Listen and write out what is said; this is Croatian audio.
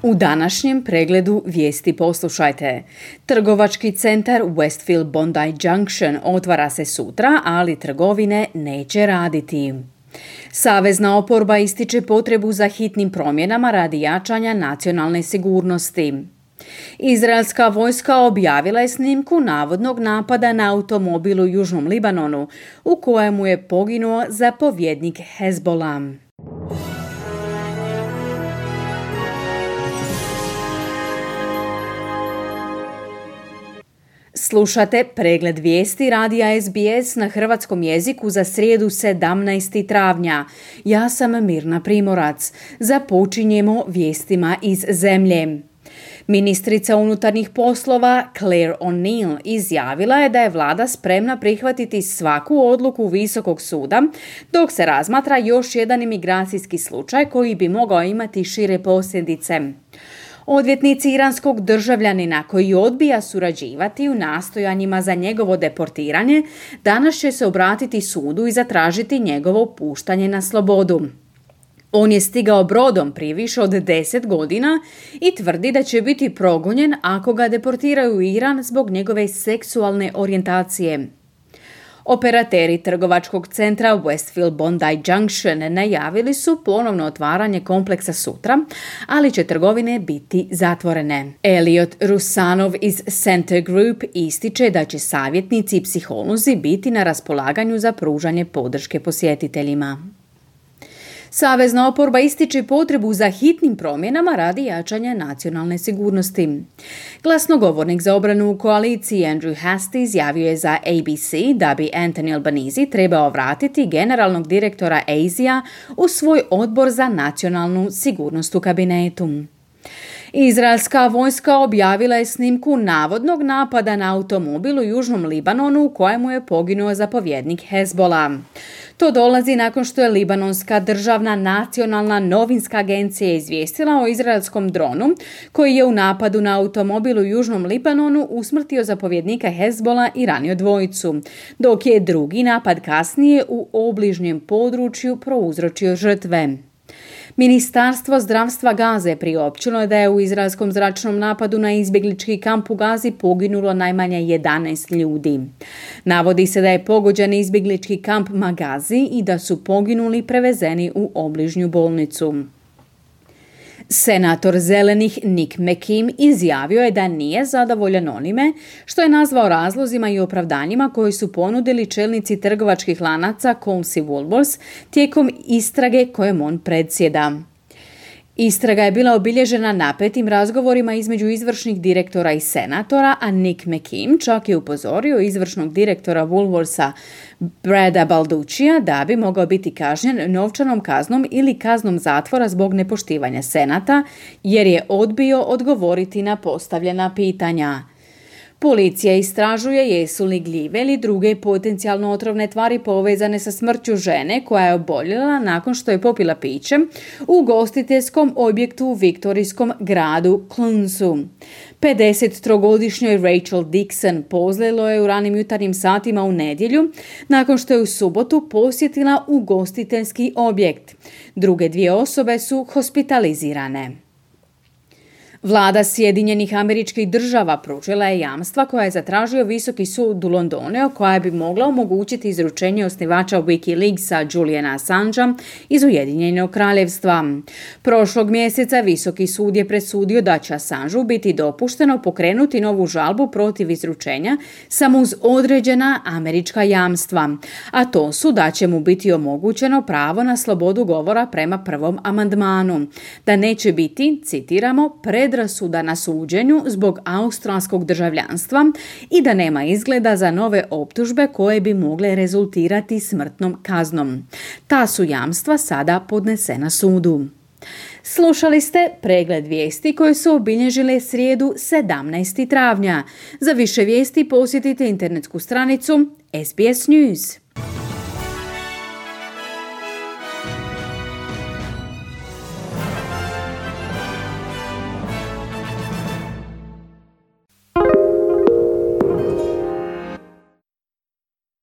U današnjem pregledu vijesti poslušajte. Trgovački centar Westfield Bondi Junction otvara se sutra, ali trgovine neće raditi. Savezna oporba ističe potrebu za hitnim promjenama radi jačanja nacionalne sigurnosti. Izraelska vojska objavila je snimku navodnog napada na automobil u Južnom Libanonu, u kojemu je poginuo zapovjednik Hezbollah. Slušate pregled vijesti radija SBS na hrvatskom jeziku za srijedu 17. travnja. Ja sam Mirna Primorac. Započinjemo vijestima iz zemlje. Ministrica unutarnjih poslova Claire O'Neill izjavila je da je vlada spremna prihvatiti svaku odluku Visokog suda dok se razmatra još jedan imigracijski slučaj koji bi mogao imati šire posljedice. Odvjetnici iranskog državljanina koji odbija surađivati u nastojanjima za njegovo deportiranje danas će se obratiti sudu i zatražiti njegovo puštanje na slobodu. On je stigao brodom prije više od 10 godina i tvrdi da će biti progonjen ako ga deportiraju u Iran zbog njegove seksualne orijentacije. Operateri trgovačkog centra Westfield Bondi Junction najavili su ponovno otvaranje kompleksa sutra, ali će trgovine biti zatvorene. Elliot Rusanov iz Center Group ističe da će savjetnici i psiholozi biti na raspolaganju za pružanje podrške posjetiteljima. Savezna oporba ističe potrebu za hitnim promjenama radi jačanja nacionalne sigurnosti. Glasnogovornik za obranu u koaliciji Andrew Hastie izjavio je za ABC da bi Anthony Albanese trebao vratiti generalnog direktora ASIA u svoj odbor za nacionalnu sigurnost u kabinetu. Izraelska vojska objavila je snimku navodnog napada na automobil u Južnom Libanonu u kojemu je poginuo zapovjednik Hezbollah. To dolazi nakon što je Libanonska državna nacionalna novinska agencija izvijestila o izraelskom dronu koji je u napadu na automobil u Južnom Libanonu usmrtio zapovjednika Hezbollah i ranio dvojicu, dok je drugi napad kasnije u obližnjem području prouzročio žrtve. Ministarstvo zdravstva Gaze priopćilo je da je u izraelskom zračnom napadu na izbjeglički kamp u Gazi poginulo najmanje 11 ljudi. Navodi se da je pogođen izbjeglički kamp Magazi i da su poginuli prevezeni u obližnju bolnicu. Senator zelenih Nick McKim izjavio je da nije zadovoljan onime što je nazvao razlozima i opravdanjima koji su ponudili čelnici trgovačkih lanaca Coles i Woolworths tijekom istrage kojem on predsjeda. Istraga je bila obilježena napetim razgovorima između izvršnih direktora i senatora, a Nick McKim čak je upozorio izvršnog direktora Woolworthsa Brada Balduccija da bi mogao biti kažnjen novčanom kaznom ili kaznom zatvora zbog nepoštivanja senata, jer je odbio odgovoriti na postavljena pitanja. Policija istražuje jesu li gljive ili druge potencijalno otrovne tvari povezane sa smrću žene koja je oboljela nakon što je popila piće u ugostiteljskom objektu u viktorijskom gradu Clunsu. 53-godišnjoj Rachel Dixon pozlilo je u ranim jutarnjim satima u nedjelju nakon što je u subotu posjetila ugostiteljski objekt. Druge dvije osobe su hospitalizirane. Vlada Sjedinjenih Američkih Država pružila je jamstva koja je zatražio Visoki sud u Londonu, koja bi mogla omogućiti izručenje osnivača Wikileaksa Juliana Assangea iz Ujedinjenog kraljevstva. Prošlog mjeseca Visoki sud je presudio da će Assangeu biti dopušteno pokrenuti novu žalbu protiv izručenja samo uz određena američka jamstva, a to su da će mu biti omogućeno pravo na slobodu govora prema prvom amandmanu, da neće biti, citiramo, predrasuda na suđenju zbog australskog državljanstva i da nema izgleda za nove optužbe koje bi mogle rezultirati smrtnom kaznom. Ta su jamstva sada podnesena sudu. Slušali ste pregled vijesti koje su obilježile srijedu 17. travnja. Za više vijesti posjetite internetsku stranicu SBS News.